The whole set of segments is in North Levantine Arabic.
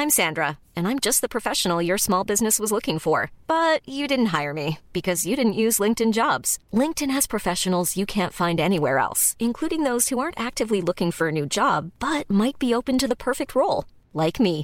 I'm Sandra, and I'm just the professional your small business was looking for. But you didn't hire me because you didn't use LinkedIn Jobs. LinkedIn has professionals you can't find anywhere else, including those who aren't actively looking for a new job, but might be open to the perfect role, like me.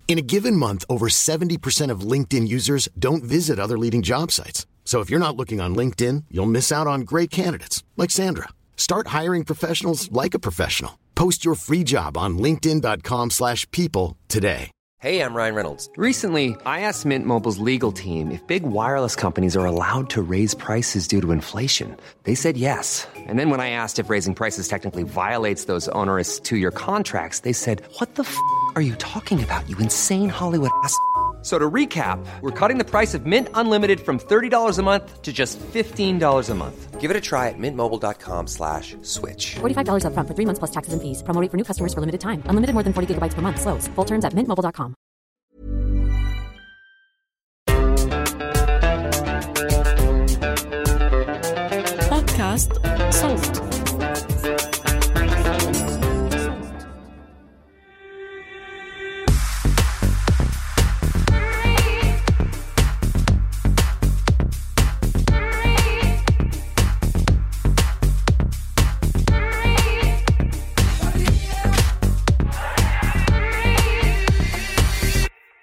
In a given month, over 70% of LinkedIn users don't visit other leading job sites. So if you're not looking on LinkedIn, you'll miss out on great candidates like Sandra. Start hiring professionals like a professional. Post your free job on linkedin.com/people today. Hey, I'm Ryan Reynolds. Recently, I asked Mint Mobile's legal team if big wireless companies are allowed to raise prices due to inflation. They said yes. And then when I asked if raising prices technically violates those onerous two-year contracts, they said, what the f*** are you talking about, you insane Hollywood ass f- So to recap, we're cutting the price of Mint Unlimited from $30 a month to just $15 a month. Give it a try at mintmobile.com/switch. $45 up front for 3 months plus taxes and fees. Promo rate for new customers for limited time. Unlimited more than 40 gigabytes per month. Slows full terms at mintmobile.com. بودكاست صوت.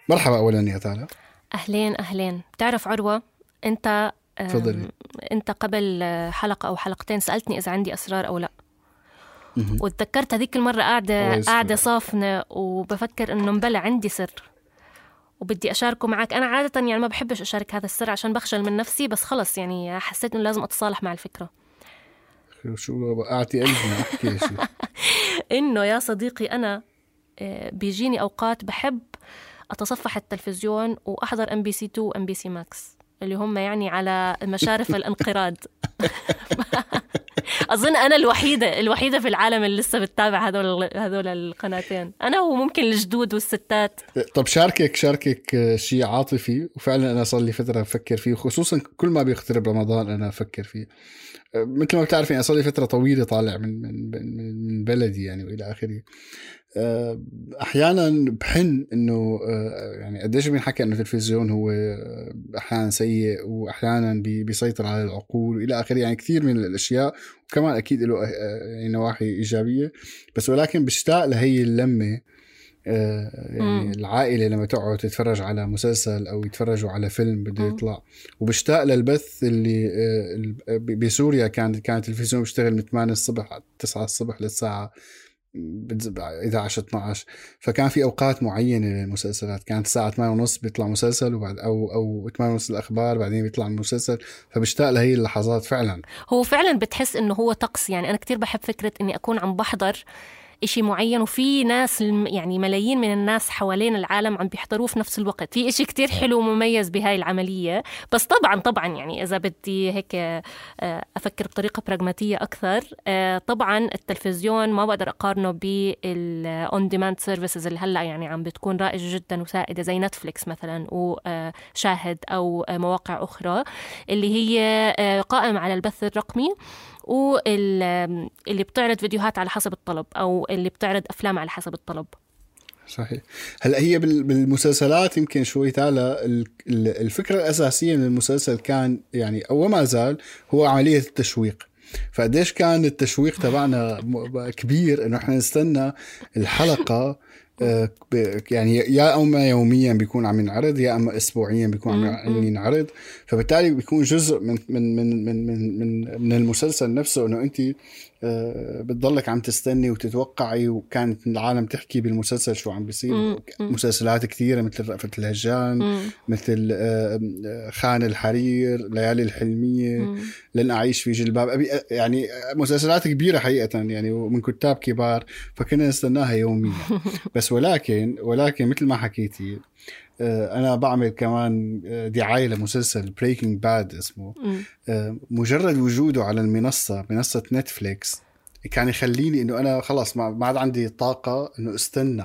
مرحبا أولاً يا تالا. أهلين. بتعرف عروة، أنت تفضلي. أنت قبل حلقة أو حلقتين سألتني إذا عندي أسرار أو لا. وتذكرت هذيك المرة قاعدة صافنة وبفكر إنه مبلع عندي سر وبدي أشاركه معك. أنا عادة يعني ما بحبش أشارك هذا السر عشان بخجل من نفسي، بس خلص يعني حسيت إنه لازم أتصالح مع الفكرة. شو وقعتي قلبنا أحكي شيء. إنه يا صديقي أنا بيجيني أوقات بحب أتصفح التلفزيون وأحضر MBC 2 و MBC Max اللي هم يعني على مشارف الانقراض. أظن أنا الوحيدة في العالم اللي لسه بتتابع هذول القناتين، أنا وممكن الجدود والستات. طب شاركك شيء عاطفي، وفعلا أنا صار لي فترة أفكر فيه، خصوصا كل ما بيقترب رمضان أنا أفكر فيه. مثل ما بتعرفين أنا صار لي فترة طويلة طالع من بلدي يعني وإلى آخره. أحيانا بحن إنه يعني قديش بينحكى إنه التلفزيون هو أحيانا سيء وأحيانا بيسيطر على العقول وإلى آخره، يعني كثير من الأشياء، وكمان أكيد له يعني نواحي إيجابية، بس ولكن بشتاق لهي اللمة. يعني العائلة لما تقعد تتفرج على مسلسل أو يتفرجوا على فيلم بده يطلع، وبشتاق للبث اللي بسوريا كان التلفزيون بيشتغل من 8 الصبح 9 الصبح للساعة 11-12. فكان في أوقات معينة للمسلسلات، كانت الساعة 8:30 بيطلع مسلسل وبعد أو 8:30 الأخبار، بعدين بيطلع المسلسل. فبشتاق لهي اللحظات فعلا. هو فعلا بتحس إنه هو طقس. يعني أنا كتير بحب فكرة إني أكون عم بحضر إشي معين وفي ناس يعني ملايين من الناس حوالين العالم عم بيحضروه في نفس الوقت. في إشي كتير حلو ومميز بهاي العملية. بس طبعا يعني إذا بدي هيك أفكر بطريقة براغماتية أكثر، طبعا التلفزيون ما بقدر أقارنه بالأون ديماند سيرفيسز اللي هلأ يعني عم بتكون رائجة جدا وسائدة زي نتفليكس مثلا وشاهد أو مواقع أخرى اللي هي قائمة على البث الرقمي، واللي بتعرض فيديوهات على حسب الطلب أو اللي بتعرض أفلام على حسب الطلب. صحيح. هلأ هي بالمسلسلات يمكن شوي تعالى الفكرة الأساسية من المسلسل كان يعني أو ما زال هو عملية التشويق. فقديش كان التشويق تبعنا كبير إنه إحنا نستنى الحلقة يعني يا أما يوميا بيكون عم ينعرض يا أما أسبوعيا بيكون عم ينعرض. فبالتالي بيكون جزء من المسلسل نفسه إنه أنت بتضلك عم تستني وتتوقعي. وكانت العالم تحكي بالمسلسل شو عم بيصير. مسلسلات كثيرة مثل رأفت الهجان، مثل خان الحرير، ليالي الحلمية، لن أعيش في جلباب، يعني مسلسلات كبيرة حقيقة يعني ومن كتاب كبار. فكنا نستناها يوميا. بس ولكن مثل ما حكيتي أنا بعمل كمان دعاية لمسلسل Breaking Bad اسمه. مجرد وجوده على منصة نتفليكس كان يخليني إنه أنا خلاص ما عاد عندي طاقة إنه استنى.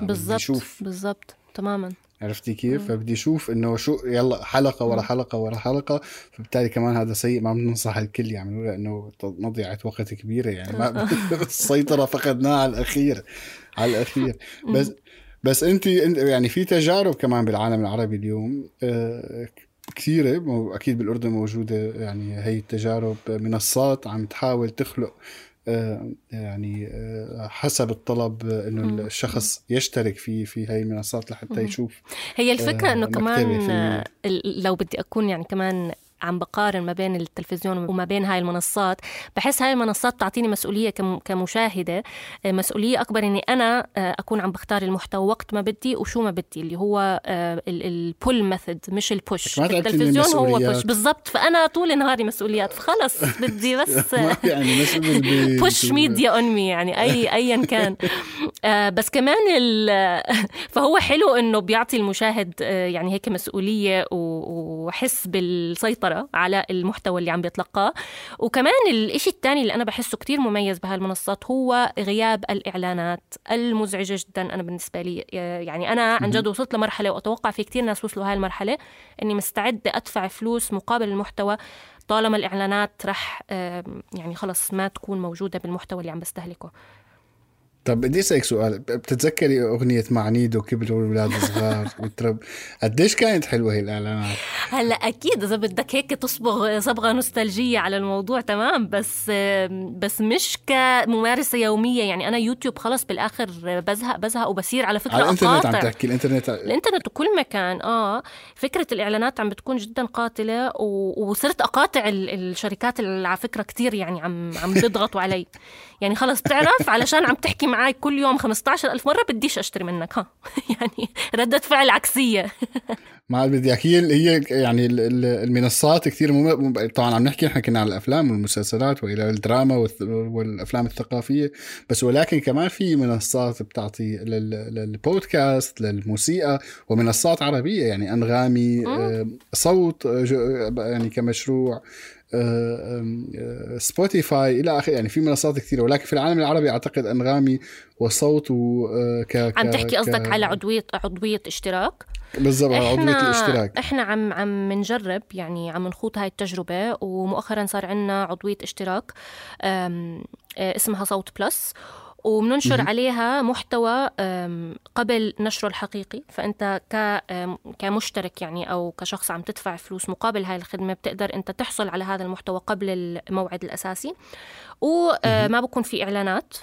بالضبط تماما. عرفتي كيف؟ فبدي أشوف إنه شو يلا حلقة ورا حلقة ورا حلقة. فبالتالي كمان هذا سيء، ما بننصح الكل يعملوا له لأنه مضيعة وقت كبيرة يعني. ما السيطرة فقدناها على الأخير. بس انت يعني في تجارب كمان بالعالم العربي اليوم كثيرة، أكيد بالأردن موجودة يعني هي التجارب، منصات عم تحاول تخلق يعني حسب الطلب إنه الشخص يشترك في هاي المنصات لحتى يشوف. هي الفكرة إنه كمان لو بدي أكون يعني كمان عم بقارن ما بين التلفزيون وما بين هاي المنصات، بحس هاي المنصات بتعطيني مسؤولية كمشاهدة، مسؤولية أكبر إني أنا أكون عم بختار المحتوى وقت ما بدي وشو ما بدي، اللي هو البول ميثود مش البوش. التلفزيون هو بوش بالضبط، فأنا طول نهاري مسؤوليات، فخلص بدي بس يعني بوش ميديا أون مي، يعني أيا كان. بس كمان فهو حلو إنه بيعطي المشاهد يعني هيك مسؤولية وحس بالسيطرة على المحتوى اللي عم بيتلقاه. وكمان الاشي الثاني اللي أنا بحسه كتير مميز بهالمنصات هو غياب الإعلانات المزعجة جدا. أنا بالنسبة لي يعني أنا عن جد وصلت لمرحلة، وأتوقع في كتير ناس وصلوا هاي المرحلة، إني مستعدة أدفع فلوس مقابل المحتوى طالما الإعلانات رح يعني خلص ما تكون موجودة بالمحتوى اللي عم بستهلكه. طب بدي أسألك سؤال، بتتذكري أغنية معنيد وكبروا الولاد الصغار والترب، قديش كانت حلوة هي الإعلانات؟ هلا أكيد إذا بدك هيك تصبغ صبغة نوستالجية على الموضوع تمام، بس مش كممارسة يومية. يعني أنا يوتيوب خلص بالآخر بزهق وبصير على فكرة على الإنترنت أقاطع. عم تحكي الإنترنت وكل مكان. فكرة الإعلانات عم بتكون جدا قاتلة، وصرت أقاطع الشركات اللي على فكرة كتير يعني عم بيضغطوا علي. يعني خلص تعرف علشان عم تحكي معي كل يوم 15,000 مرة بديش أشتري منك يعني ردة فعل عكسية. مع بدي أحكي هي يعني المنصات كتير طبعا عم نحكي إحنا كنا على الأفلام والمسلسلات وإلى الدراما والأفلام الثقافية، بس ولكن كمان في منصات بتعطي للبودكاست، للموسيقى، ومنصات عربية يعني أنغامي، صوت يعني كمشروع، سبوتيفاي إلى آخر. يعني في منصات كثيرة، ولكن في العالم العربي أعتقد أنغامي وصوت عم تحكي قصدك على عضوية اشتراك؟ بالضبط، عضوية الاشتراك. احنا عم نجرب يعني عم نخوض هاي التجربة، ومؤخرا صار عنا عضوية اشتراك اسمها صوت بلس، وبننشر عليها محتوى قبل نشره الحقيقي. فأنت كمشترك يعني أو كشخص عم تدفع فلوس مقابل هاي الخدمة بتقدر أنت تحصل على هذا المحتوى قبل الموعد الأساسي، وما بكون في إعلانات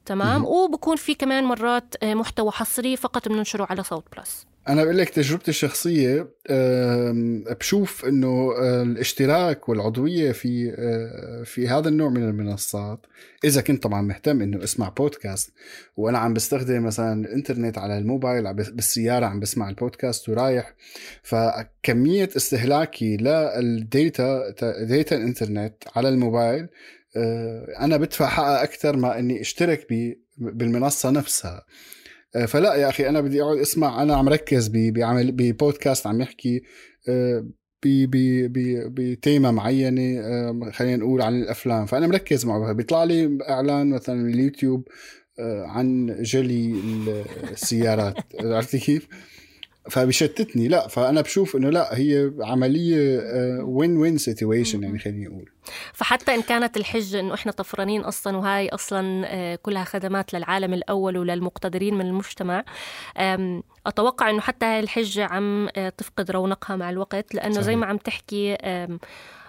تمام، وبكون في كمان مرات محتوى حصري فقط بننشره على صوت بلس. أنا بقول لك تجربتي الشخصية، بشوف إنه الاشتراك والعضوية في هذا النوع من المنصات، إذا كنت طبعا مهتم إنه اسمع بودكاست، وأنا عم بستخدم مثلا الإنترنت على الموبايل بالسيارة عم بسمع البودكاست ورايح، فكمية استهلاكي للديتا الإنترنت على الموبايل أنا بدفع حقها أكثر ما إني اشترك بالمنصة نفسها. فلا يا أخي، أنا بدي أقعد أسمع، أنا عم ركز بعمل ببودكاست عم يحكي بتيمة معينة، خلينا نقول عن الأفلام، فأنا مركز معه. بيطلع لي إعلان مثلا اليوتيوب عن جلي السيارات عرفتي كيف؟ فبيشتتني. لا، فأنا بشوف إنه لا، هي عملية win-win situation يعني خليني أقول. فحتى إن كانت الحجة إنه إحنا طفرانين أصلاً، وهاي أصلاً كلها خدمات للعالم الأول وللمقتدرين من المجتمع، أتوقع إنه حتى هاي الحجة عم تفقد رونقها مع الوقت، لأنه صحيح. زي ما عم تحكي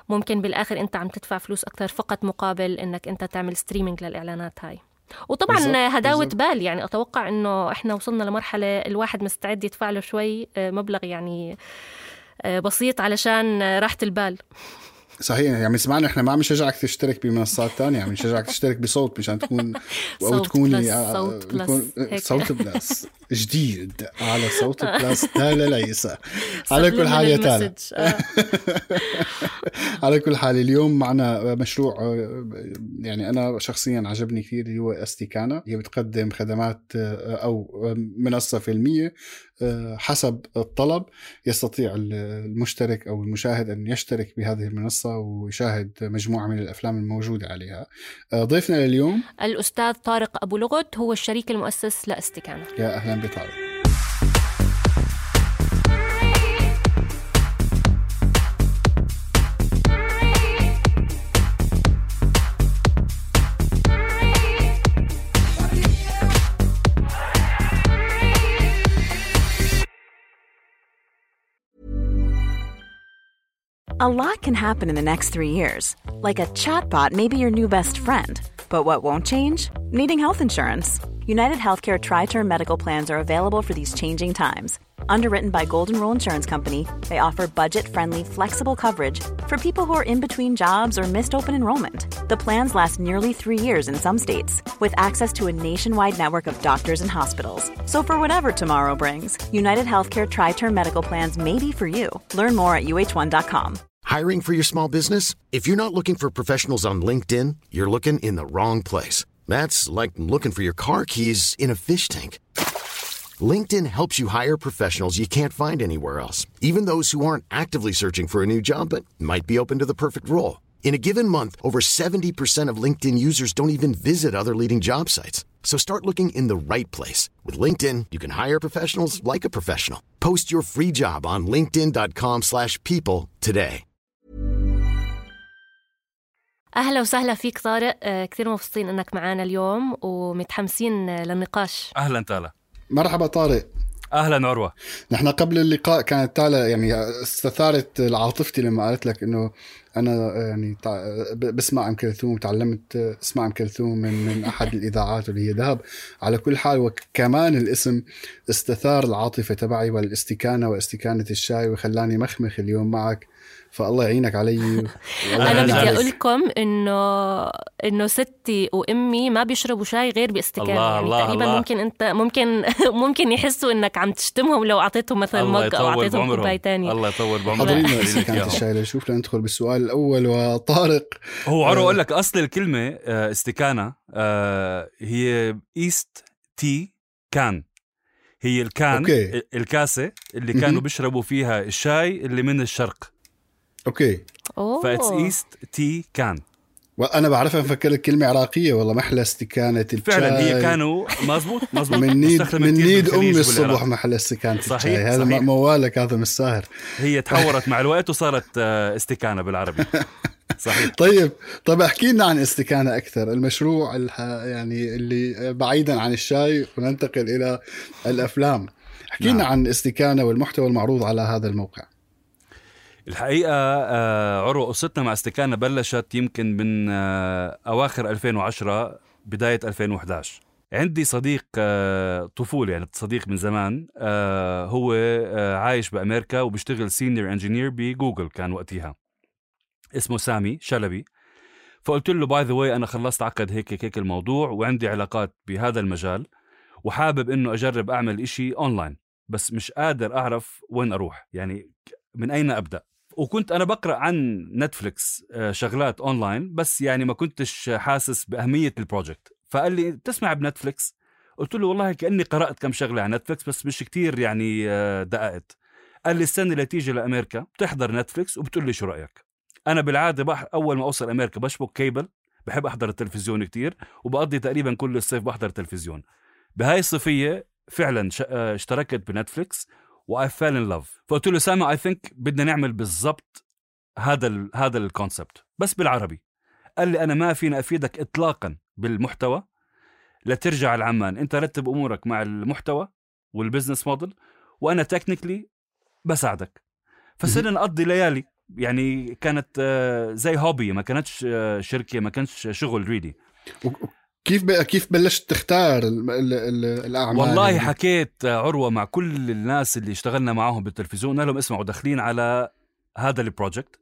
ممكن بالآخر أنت عم تدفع فلوس أكثر فقط مقابل إنك أنت تعمل ستريمينج للإعلانات هاي. وطبعا هداوة بال، يعني أتوقع إنه إحنا وصلنا لمرحلة الواحد مستعد يدفع له شوي مبلغ يعني بسيط علشان راحة البال. صحيح، يعني سمعنا احنا ما عم نشجعك تشترك بمنصات تانية، عم نشجعك تشترك بصوت مشان تكون او تكوني صوت بلس جديد على صوت بلس تالا ليس. على كل حال يا تالا على كل حال اليوم معنا مشروع يعني انا شخصيا عجبني كثير، اللي هو استيكانا. هي بتقدم خدمات او منصة فيلمية حسب الطلب. يستطيع المشترك أو المشاهد أن يشترك بهذه المنصة ويشاهد مجموعة من الأفلام الموجودة عليها. ضيفنا لليوم الأستاذ طارق أبو لغد، هو الشريك المؤسس لاستيكانا. يا أهلا بطارق. A lot can happen in the next 3 years. Like a chatbot may be your new best friend. But what won't change? Needing health insurance. United Healthcare Tri-Term Medical Plans are available for these changing times. Underwritten by Golden Rule Insurance Company, they offer budget-friendly, flexible coverage for people who are in between jobs or missed open enrollment. The plans last nearly 3 years in some states, with access to a nationwide network of doctors and hospitals. So for whatever tomorrow brings, United Healthcare Tri-Term Medical Plans may be for you. Learn more at uh1.com. Hiring for your small business? If you're not looking for professionals on LinkedIn, you're looking in the wrong place. That's like looking for your car keys in a fish tank. LinkedIn helps you hire professionals you can't find anywhere else, even those who aren't actively searching for a new job but might be open to the perfect role. In a given month, over 70% of LinkedIn users don't even visit other leading job sites. So start looking in the right place. With LinkedIn, you can hire professionals like a professional. Post your free job on linkedin.com/people today. أهلا وسهلا فيك طارق. كثير مبسوطين أنك معنا اليوم ومتحمسين للنقاش. أهلا تالا. مرحبا طارق. أهلا عروة. نحن قبل اللقاء كانت تالا يعني استثارت عاطفتي لما قالت لك إنه أنا يعني بسمع أم كلثوم، تعلمت اسمع أم كلثوم من أحد الإذاعات اللي هي ذهب. على كل حال وكمان الاسم استثار العاطفة تبعي والاستكانة واستكانة الشاي وخلاني مخمخ اليوم معك، فالله يعينك علي. أنا بدي أقول لكم إنه ستي وأمي ما بيشربوا شاي غير باستكانة. يعني تقريبا الله. ممكن أنت ممكن يحسوا إنك عم تشتمهم لو أعطيتهم مثلا مج أو أعطيتهم كوباية تانية. الله يطول بعمرهم. حضرينا استكانة الشاي لنشوف لندخل بالسؤال الأول. وطارق هو عرو أقول لك أصل الكلمة استكانة هي إيست تي كان، هي الكان الكاسة اللي كانوا بيشربوا فيها الشاي اللي من الشرق. اوكي فايتس ايست تي كان. وانا بعرفها مفكر الكلمه عراقيه والله محلى استكانه الشاي. فعلا هي كانوا مزبوط من نيد امي الصبح محلى استكانه الشاي. هذا موالك هذا مش ساهر. هي تحورت مع الوقت وصارت استكانه بالعربي. صحيح. طيب احكي لنا عن استكانه اكثر، المشروع يعني اللي بعيدا عن الشاي وننتقل الى الافلام. احكي لنا عن استكانه والمحتوى المعروض على هذا الموقع. الحقيقة عروة قصتنا مع استكانة بلشت يمكن من أواخر 2010 بداية 2011. عندي صديق طفولة، يعني صديق من زمان، هو عايش بأمريكا وبيشتغل سينيور انجينير بجوجل كان وقتها، اسمه سامي شلبي. فقلت له باي ذا واي أنا خلصت عقد هيك الموضوع وعندي علاقات بهذا المجال وحابب إنه أجرب أعمل إشي أونلاين، بس مش قادر أعرف وين أروح، يعني من أين أبدأ. وكنت أنا بقرأ عن نتفليكس شغلات أونلاين، بس يعني ما كنتش حاسس بأهمية البروجكت. فقال لي تسمع بنتفليكس؟ قلت له والله كأني قرأت كم شغلة عن نتفليكس بس مش كتير يعني دققت. قال لي السنة اللي تيجي لأمريكا بتحضر نتفليكس وبتقول لي شو رأيك. أنا بالعادة أول ما أوصل أمريكا بشبك كيبل، بحب أحضر التلفزيون كتير وبقضي تقريبا كل الصيف بحضر التلفزيون. بهاي الصيفية فعلا اشتركت بنتفليكس و I fell in love. فقلت له سامي I think بدنا نعمل بالضبط هذا الكونسبت بس بالعربي. قال لي أنا ما فينا أفيدك إطلاقا بالمحتوى، لا ترجع العمان، أنت رتب أمورك مع المحتوى والبزنس موديل وأنا تكنيكلي بساعدك. فصرنا نقضي ليالي، يعني كانت زي هوبي، ما كانتش شركة، ما كانش شغل ريدي. كيف بلشت تختار الأعمال؟ والله حكيت عروة مع كل الناس اللي اشتغلنا معاهم بالتلفزيون، قال لهم اسمعوا داخلين على هذا البروجكت،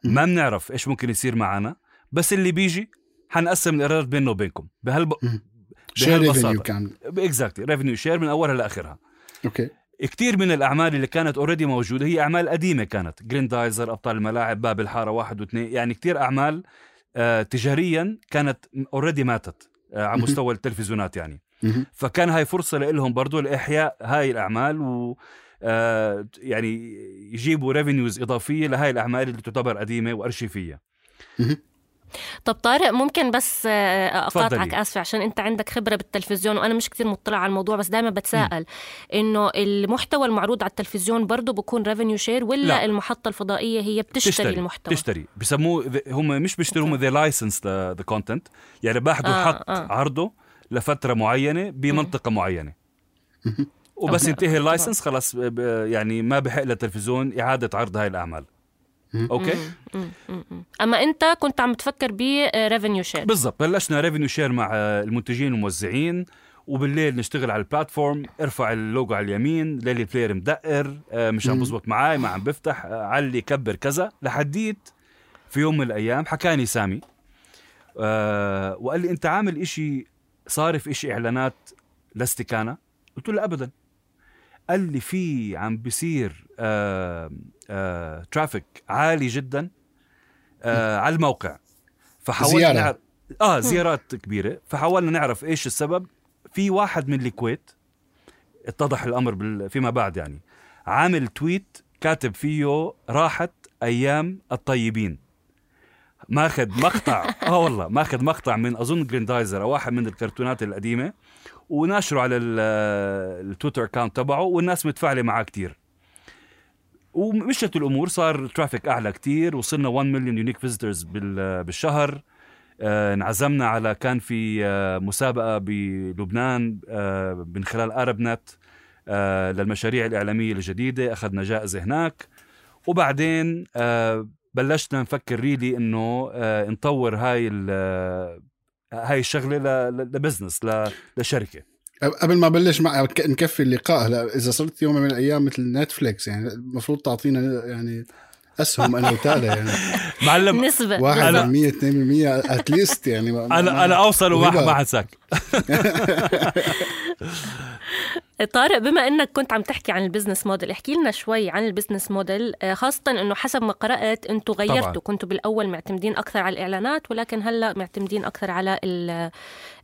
ما بنعرف ايش ممكن يصير معنا، بس اللي بيجي حنقسم الإيرادات بيننا وبينكم بهالبساطة كان اكزاكتلي ريفينيو شير من أولها لآخرها. اوكي. كتير من الأعمال اللي كانت اوريدي موجودة هي أعمال قديمة، كانت جريندايزر، أبطال الملاعب، باب الحارة 1 و2، يعني كتير أعمال تجاريا كانت اوريدي ماتت على مستوى التلفزيونات يعني. فكان هاي فرصة لهم برضو لإحياء هاي الأعمال و يعني يجيبوا ريفينيوز إضافية لهاي الأعمال اللي تعتبر قديمة وأرشيفية. طب طارق ممكن بس أقاطعك، آسفة، عشان أنت عندك خبرة بالتلفزيون وأنا مش كتير مطلع على الموضوع، بس دائما بتساءل إنه المحتوى المعروض على التلفزيون برضو بكون ريفينيو شير ولا لا. المحطة الفضائية هي بتشتري المحتوى؟ بتشتري، بيسموه هم مش بيشتروا، هم they license the content، يعني باخدوا حق عرضه لفترة معينة بمنطقة معينة وبس ينتهي اللايسنس خلاص، يعني ما بحق للتلفزيون إعادة عرض هاي الأعمال. اوكي. اما انت كنت عم تفكر بريفينيو شير. بالضبط، بلشنا ريفينيو شير مع المنتجين والموزعين، وبالليل نشتغل على البلاتفورم، ارفع اللوجو على اليمين، ليلي بلاير مدقر، مش عم بزبط معاي، ما عم بفتح، علي كبر كذا، لحديت في يوم من الأيام حكاني سامي وقال لي أنت عامل إشي، صارف إشي إعلانات لاستكانة؟ قلت له أبدا. قال لي في عم بيصير ترافيك عالي جدا على الموقع، فحاولنا نعرف زيارات كبيرة، فحاولنا نعرف إيش السبب. في واحد من الكويت اتضح الأمر فيما بعد، يعني عامل تويت كاتب فيه راحت أيام الطيبين، ماخذ مقطع والله ماخذ مقطع من أظن جريندايزر أو واحد من الكرتونات القديمة، وناشره على التويتر أكاونت تبعه، والناس متفاعلة معاه كتير، ومشت الأمور، صار ترافيك أعلى كتير، وصلنا 1 مليون يونيك فيزيتورز بالشهر. انعزمنا على، كان في مسابقة بلبنان من خلال أرب نت للمشاريع الإعلامية الجديدة، أخذنا جائزة هناك. وبعدين بلشنا نفكر ريلي إنه نطور هاي الشغلة لبزنس، لشركة. قبل ما بلش نكفي اللقاء، هلا إذا صرت يوم من الأيام مثل نتفليكس، يعني المفروض تعطينا يعني أسهم أنا وتالا، يعني معلم نسبة 1% 2% أتليست، يعني أنا أوصل وما حد ساك. طارق، بما أنك كنت عم تحكي عن البزنس موديل، احكي لنا شوي عن البزنس موديل، خاصة أنه حسب ما قرأت أنتوا غيرتوا، كنتوا بالأول معتمدين أكثر على الإعلانات، ولكن هلأ معتمدين أكثر على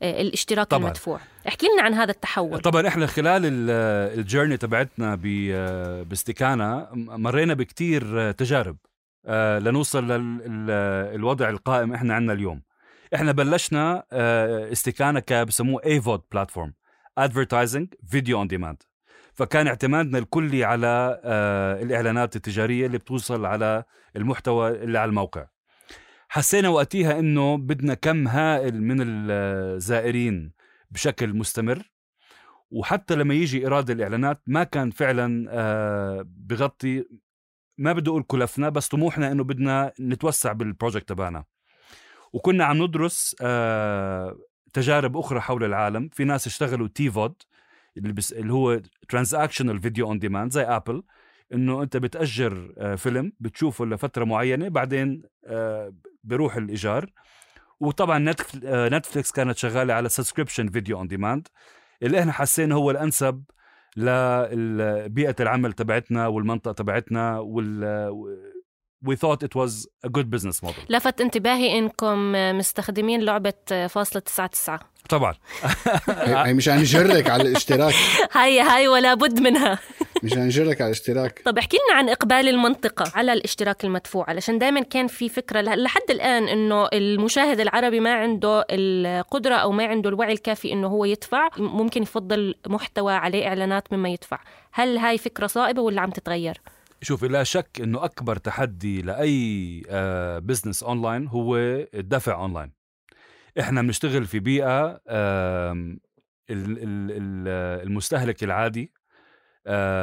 الاشتراك طبعاً المدفوع. احكي لنا عن هذا التحول. طبعا احنا خلال الجيرني تبعتنا باستكانة مرينا بكتير تجارب لنوصل للوضع القائم احنا عنا اليوم. احنا بلشنا استكانة كبسموه AVOD platform، advertising video on demand، فكان اعتمادنا الكلي على الإعلانات التجارية اللي بتوصل على المحتوى اللي على الموقع. حسينا وقتها إنه بدنا كم هائل من الزائرين بشكل مستمر، وحتى لما يجي إيراد الإعلانات ما كان فعلا بغطي، ما بدي أقول كلفنا، بس طموحنا إنه بدنا نتوسع بالبروجكت تبعنا. وكنا عم ندرس تجارب أخرى حول العالم. في ناس اشتغلوا تيفود اللي هو Transactional Video on Demand زي أبل، إنه أنت بتأجر فيلم بتشوفه لفترة معينة، بعدين بيروح الإيجار. وطبعا نتفليكس كانت شغالة على Subscription Video on Demand، اللي إحنا حسينا هو الأنسب لبيئة العمل تبعتنا والمنطقة تبعتنا، we thought it was a good business model. لفت انتباهي إنكم مستخدمين لعبة .99. طبعا هي مش هنجرك على الاشتراك، هاي ولا بد منها، مش هنجرك على الاشتراك. طب احكي لنا عن إقبال المنطقة على الاشتراك المدفوع، علشان دائما كان في فكرة لحد الآن إنه المشاهد العربي ما عنده القدرة أو ما عنده الوعي الكافي إنه هو يدفع، ممكن يفضل محتوى عليه إعلانات مما يدفع. هل هاي فكرة صائبة ولا عم تتغير؟ شوف، لا شك إنه أكبر تحدي لأي بزنس أونلاين هو الدفع أونلاين. إحنا بنشتغل في بيئة المستهلك العادي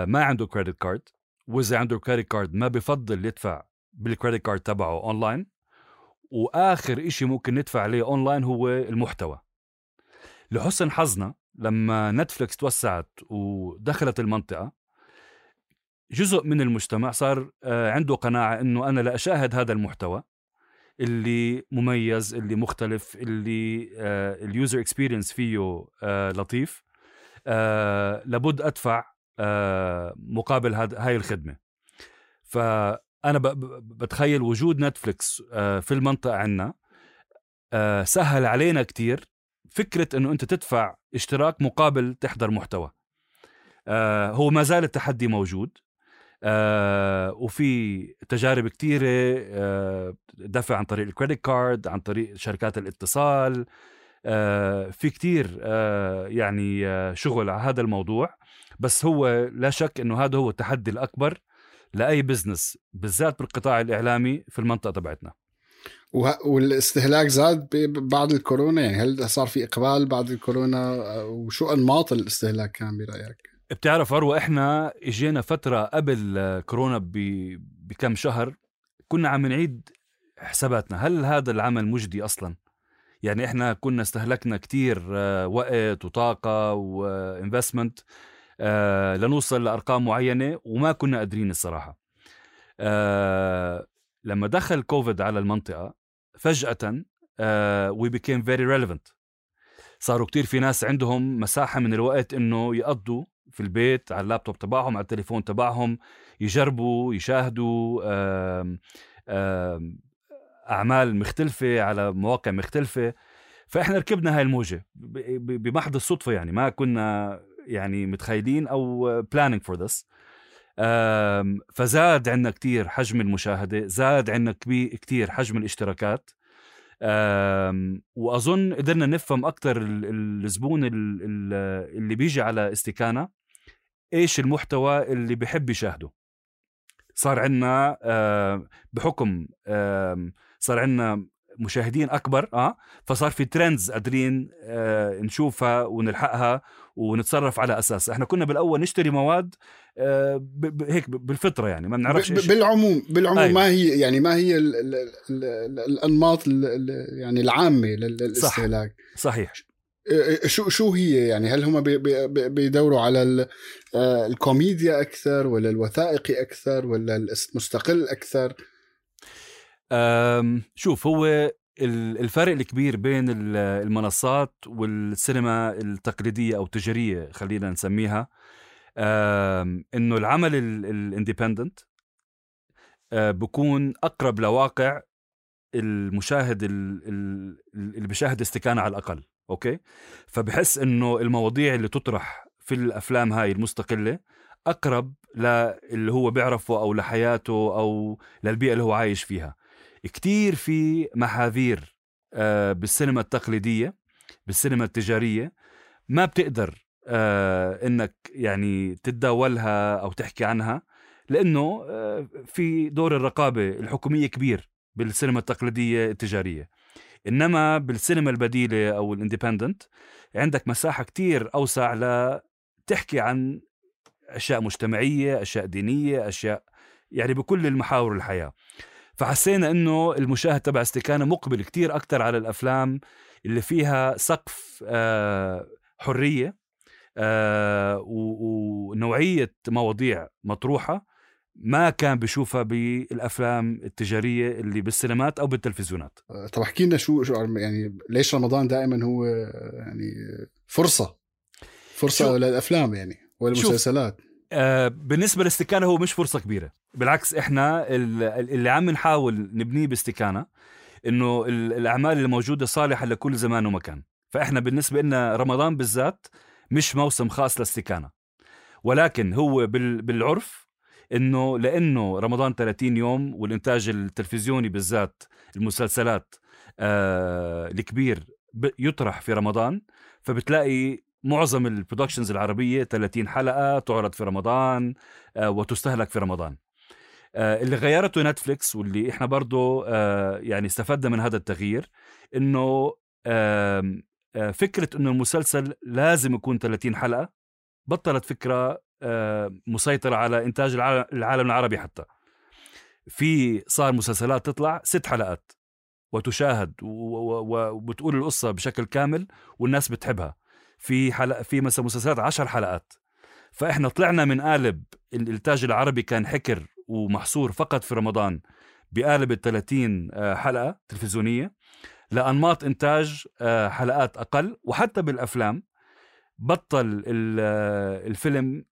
ما عنده كريدت كارد، وإذا عنده كريدت كارد ما بفضل يدفع بالكريدت كارد تبعه أونلاين، وآخر إشي ممكن ندفع عليه أونلاين هو المحتوى. لحسن حظنا لما نتفليكس توسعت ودخلت المنطقة، جزء من المجتمع صار عنده قناعة إنه أنا لا أشاهد هذا المحتوى اللي مميز، اللي مختلف، اللي اليوزر اكسبيرينس فيه لطيف، لابد أدفع مقابل هاي الخدمة. فأنا بتخيل وجود نتفليكس في المنطقة عنا سهل علينا كتير فكرة إنه أنت تدفع اشتراك مقابل تحضر محتوى. هو ما زال التحدي موجود، وفي تجارب كتيرة دفع عن طريق الكريدت كارد، عن طريق شركات الاتصال، في كتير يعني شغل على هذا الموضوع. بس هو لا شك انه هذا هو التحدي الأكبر لأي بزنس، بالذات بالقطاع الإعلامي في المنطقة تبعتنا. والاستهلاك زاد بعد الكورونا، يعني هل صار في إقبال بعد الكورونا، وشو أنماط الاستهلاك كان برأيك؟ بتعرف أروى، إحنا إجينا فترة قبل كورونا بكم شهر كنا عم نعيد حساباتنا، هل هذا العمل مجدي أصلا؟ يعني إحنا كنا استهلكنا كتير وقت وطاقة وإنفستمنت لنوصل لأرقام معينة وما كنا قادرين الصراحة. لما دخل كوفيد على المنطقة فجأة we became very relevant. صاروا كتير في ناس عندهم مساحة من الوقت إنه يقضوا في البيت على اللابتوب تبعهم، على التليفون تبعهم، يجربوا يشاهدوا أعمال مختلفة على مواقع مختلفة. فإحنا ركبنا هاي الموجة بمحض الصدفة، يعني ما كنا يعني متخيلين أو planning for this. فزاد عنا كتير حجم المشاهدة، زاد عنا كتير حجم الاشتراكات، وأظن قدرنا نفهم أكتر الزبون اللي بيجي على استكانة إيش المحتوى اللي بيحب يشاهده. صار عنا بحكم صار عنا مشاهدين أكبر، فصار في ترندز قادرين نشوفها ونلحقها ونتصرف على أساس. إحنا كنا بالأول نشتري مواد هيك بالفطرة، يعني ما بنعرفش بالعموم أيوة. ما هي يعني ما هي الأنماط يعني العامة للاستهلاك. صحيح. شو هي يعني؟ هل هم بيدوروا على الكوميديا أكثر ولا الوثائقي أكثر ولا المستقل أكثر؟ شوف، هو الفرق الكبير بين المنصات والسينما التقليدية أو التجارية خلينا نسميها، إنه العمل الانديبندنت بيكون أقرب لواقع المشاهد اللي بيشاهد استكانة على الأقل. أوكي، فبحس إنه المواضيع اللي تطرح في الأفلام هاي المستقلة أقرب للي هو بيعرفه أو لحياته أو للبيئة اللي هو عايش فيها. كتير في محاذير بالسينما التقليدية، بالسينما التجارية ما بتقدر إنك يعني تتداولها أو تحكي عنها، لأنه في دور الرقابة الحكومية كبير بالسينما التقليدية التجارية. إنما بالسينما البديلة أو الانديبندنت عندك مساحة كتير أوسع لتحكي عن أشياء مجتمعية، أشياء دينية، أشياء يعني بكل المحاور الحياة. فحسينا إنه المشاهد تبع استكانة مقبل كتير أكتر على الأفلام اللي فيها سقف حرية ونوعية مواضيع مطروحة ما كان بيشوفها بالأفلام التجارية اللي بالسينمات أو بالتلفزيونات. طب احكي لنا شو يعني ليش رمضان دائما هو يعني فرصة للأفلام يعني والمسلسلات؟ بالنسبة لاستكانة هو مش فرصة كبيرة، بالعكس إحنا اللي عم نحاول نبنيه باستكانة إنه الأعمال الموجودة صالحة لكل زمان ومكان. فإحنا بالنسبة لنا رمضان بالذات مش موسم خاص لاستكانة، ولكن هو بالعرف إنه لأنه رمضان 30 يوم والإنتاج التلفزيوني بالذات المسلسلات الكبير يطرح في رمضان، فبتلاقي معظم البرودكشنز العربية 30 حلقة تعرض في رمضان وتستهلك في رمضان. اللي غيرته نتفليكس واللي إحنا برضو يعني استفدنا من هذا التغيير، إنه فكرة إنه المسلسل لازم يكون 30 حلقة بطلت فكرة مسيطرة على إنتاج العالم العربي. حتى في صار مسلسلات تطلع 6 حلقات وتشاهد وبتقول القصة بشكل كامل والناس بتحبها. في مثلا مسلسلات 10 حلقات. فإحنا طلعنا من قالب الإنتاج العربي كان حكر ومحصور فقط في رمضان بقالب 30 حلقة تلفزيونية لأنماط إنتاج حلقات أقل. وحتى بالأفلام بطل الفيلم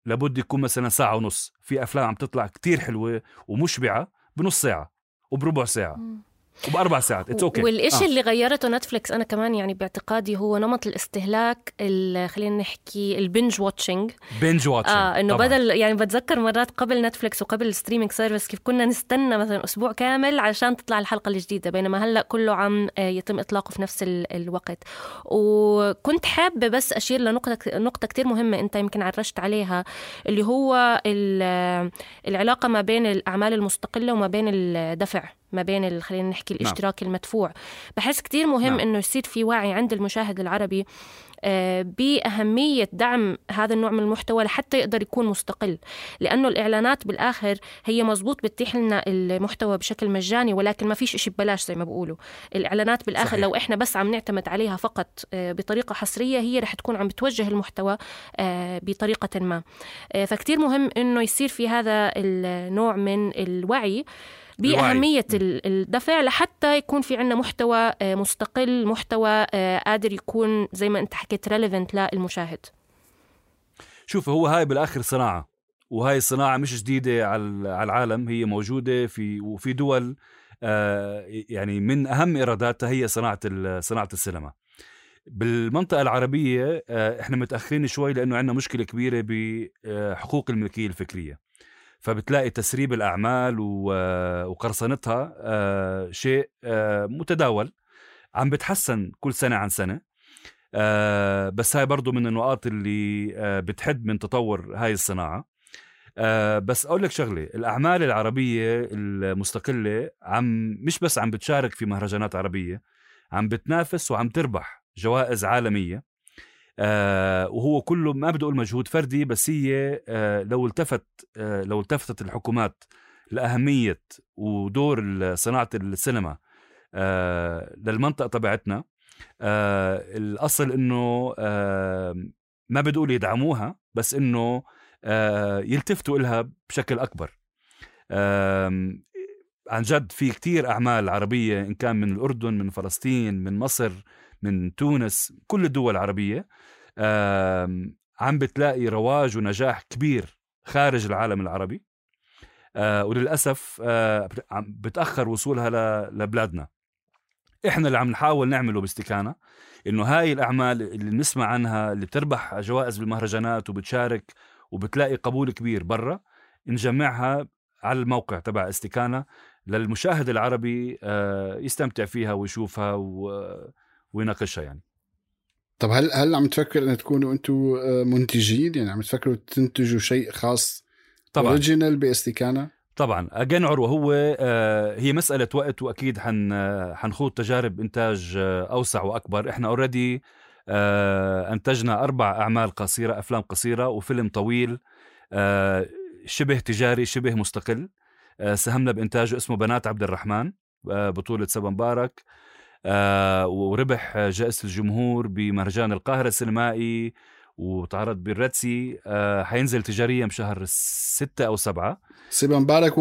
لابد يكون مثلا 1.5 ساعة. في أفلام عم تطلع كتير حلوة ومشبعة بنص ساعة وبربع ساعة وب4 ساعات. والإشي اللي غيرته نتفليكس أنا كمان يعني باعتقادي هو نمط الاستهلاك، خلينا نحكي البنج واتشنج. إنه بدل يعني بتذكر مرات قبل نتفليكس وقبل الستريمينج سيرفيس كيف كنا نستنى مثلا أسبوع كامل عشان تطلع الحلقة الجديدة، بينما هلأ كله عم يتم إطلاقه في نفس الوقت. وكنت حابة بس أشير لنقطة كتير مهمة أنت يمكن عرشت عليها، اللي هو العلاقة ما بين الأعمال المستقلة وما بين الدفع، ما بين خلينا نحكي الاشتراك المدفوع. بحس كتير مهم إنه يصير في وعي عند المشاهد العربي بأهمية دعم هذا النوع من المحتوى لحتى يقدر يكون مستقل، لأنه الإعلانات بالآخر هي مزبوط بتتيح لنا المحتوى بشكل مجاني، ولكن ما فيش إشي ببلاش زي ما بقولوا. الإعلانات بالآخر صحيح. لو إحنا بس عم نعتمد عليها فقط بطريقة حصرية، هي رح تكون عم بتوجه المحتوى بطريقة ما. فكتير مهم إنه يصير في هذا النوع من الوعي بأهمية الدفع لحتى يكون في عنا محتوى مستقل، محتوى قادر يكون زي ما أنت حكيت relevant للمشاهد. شوف، هو هاي بالآخر صناعة، وهاي الصناعة مش جديدة على العالم، هي موجودة وفي دول يعني من أهم إيراداتها هي صناعة السينما. بالمنطقة العربية إحنا متأخرين شوي لأنه عندنا مشكلة كبيرة بحقوق الملكية الفكرية، فبتلاقي تسريب الأعمال وقرصنتها شيء متداول، عم بتحسن كل سنة عن سنة، بس هاي برضو من النقاط اللي بتحد من تطور هاي الصناعة. بس أقول لك شغلة، الأعمال العربية المستقلة مش بس عم بتشارك في مهرجانات عربية، عم بتنافس وعم تربح جوائز عالمية، وهو كله ما بدي أقول مجهود فردي، بس هي لو التفتت الحكومات لأهمية ودور صناعة السينما للمنطقة تبعتنا، الأصل إنه ما بدي أقول يدعموها، بس إنه يلتفتوا إلها بشكل أكبر. عن جد في كتير أعمال عربية، إن كان من الأردن، من فلسطين، من مصر، من تونس، كل الدول العربية عم بتلاقي رواج ونجاح كبير خارج العالم العربي، وللأسف بتأخر وصولها لبلادنا. إحنا اللي عم نحاول نعمله باستكانة إنه هاي الأعمال اللي نسمع عنها اللي بتربح جوائز بالمهرجانات وبتشارك وبتلاقي قبول كبير برا، نجمعها على الموقع تبع استكانة للمشاهد العربي يستمتع فيها ويشوفها ويناقشها يعني. طب هل عم تفكر أن تكونوا أنتوا منتجين؟ يعني عم تفكروا تنتجوا شيء خاص أوريجينال باستكانة؟ طبعا أجن عروة، هو هي مسألة وقت، وأكيد حنخوض تجارب إنتاج أوسع وأكبر. إحنا أوريدي أنتجنا 4 أعمال قصيرة، أفلام قصيرة وفيلم طويل شبه تجاري شبه مستقل، ساهمنا بإنتاجه، اسمه بنات عبد الرحمن، بطولة سبا مبارك، وربح جائزة الجمهور بمهرجان القاهرة السينمائي وتعرض بالرتسي. حينزل تجاريا بشهر 6 أو 7. سبا مبارك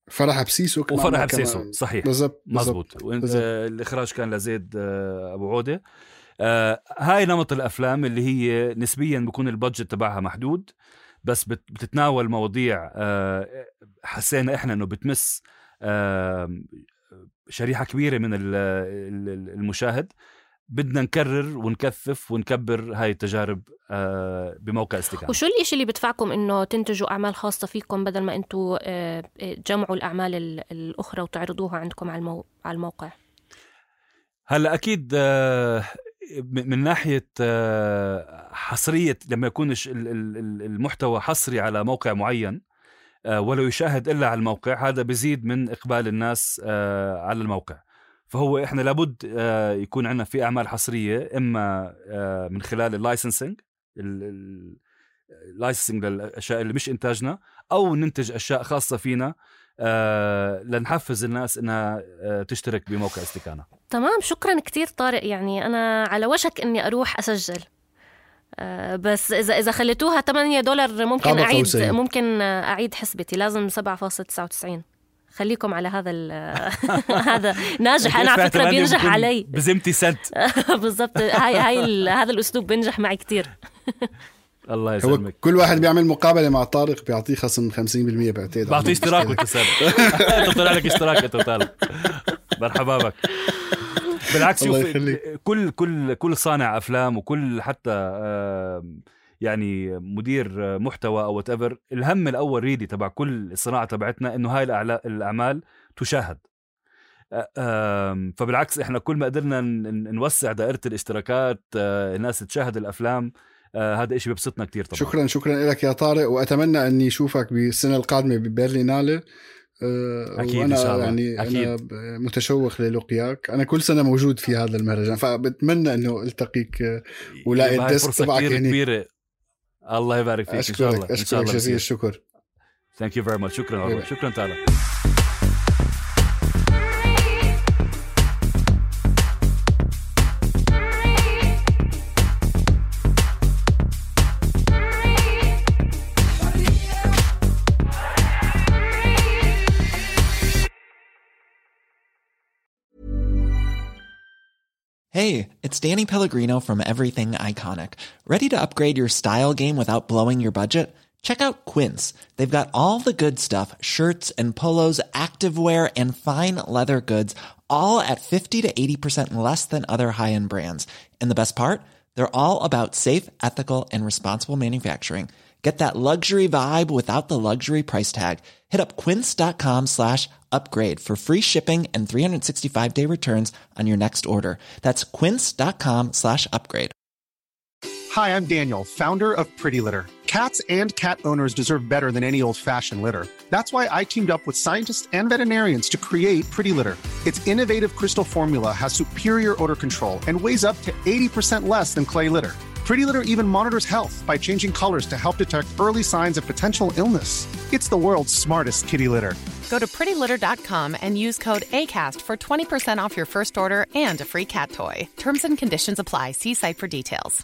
فرح بسيسو وفرح بسيسو صحيح مزبوط. الإخراج كان لزيد أبو عودة. هاي نمط الأفلام اللي هي نسبيا بيكون البادجت تبعها محدود، بس بتتناول مواضيع حسينا إحنا أنه بتمس شريحة كبيرة من المشاهد. بدنا نكرر ونكثف ونكبر هاي التجارب بموقع استكانة. وشو الإشي اللي بدفعكم إنه تنتجوا أعمال خاصة فيكم بدل ما أنتوا تجمعوا الأعمال الأخرى وتعرضوها عندكم على الموقع؟ هلا أكيد من ناحية حصرية، لما يكون المحتوى حصري على موقع معين ولو يشاهد إلا على الموقع، هذا بيزيد من إقبال الناس على الموقع. فهو إحنا لابد يكون عندنا في أعمال حصرية، إما من خلال اللايسنسنج للأشياء اللي مش إنتاجنا، أو ننتج أشياء خاصة فينا لنحفز الناس إنها تشترك بموقع استكانة. تمام، شكرا كتير طارق. يعني أنا على وشك إني أروح أسجل، بس إذا خليتوها $8 ممكن أعيد حسبتي. لازم 7.99. خليكم على هذا هذا ناجح. أنا على فكرة بينجح علي بزمتي سنت بالضبط. هذا الأسلوب بينجح معي كتير. الله يسلمك. كل واحد بيعمل مقابلة مع طارق بيعطيه خصم 50% بعتقد. بعطيه اشتراك وتسال. انت طلع لك اشتراك انت طالب. مرحبا بك. بالعكس، كل صانع افلام وكل حتى يعني مدير محتوى او whatever، الهم الاول ريدي تبع كل الصناعه تبعتنا انه هاي الاعمال تشاهد. فبالعكس احنا كل ما قدرنا نوسع دائره الاشتراكات، الناس تشاهد الافلام، هذا إشي بيبسطنا كتير طبعا. شكرا لك يا طارق، وأتمنى أني أشوفك بالسنة القادمة ببرلينالة أكيد وأنا إن شاء الله. يعني أكيد. أنا متشوق للقياك. أنا كل سنة موجود في هذا المهرجان، فبتمنى إنه التقيك ولاقي الديسك تبعك هناك. كبيرة. الله يبارك فيك. إن شاء الله. أشكرك جزيل الشكر. Thank you very much. شكرا عروة. شكرا تعالى. Hey, it's Danny Pellegrino from Everything Iconic. Ready to upgrade your style game without blowing your budget? Check out Quince. They've got all the good stuff, shirts and polos, activewear, and fine leather goods, all at 50 to 80% less than other high-end brands. And the best part? They're all about safe, ethical, and responsible manufacturing. Get that luxury vibe without the luxury price tag. Hit up quince.com/upgrade for free shipping and 365-day returns on your next order. That's quince.com/upgrade. Hi, I'm Daniel, founder of Pretty Litter. Cats and cat owners deserve better than any old-fashioned litter. That's why I teamed up with scientists and veterinarians to create Pretty Litter. Its innovative crystal formula has superior odor control and weighs up to 80% less than clay litter. Pretty Litter even monitors health by changing colors to help detect early signs of potential illness. It's the world's smartest kitty litter. Go to prettylitter.com and use code ACAST for 20% off your first order and a free cat toy. Terms and conditions apply. See site for details.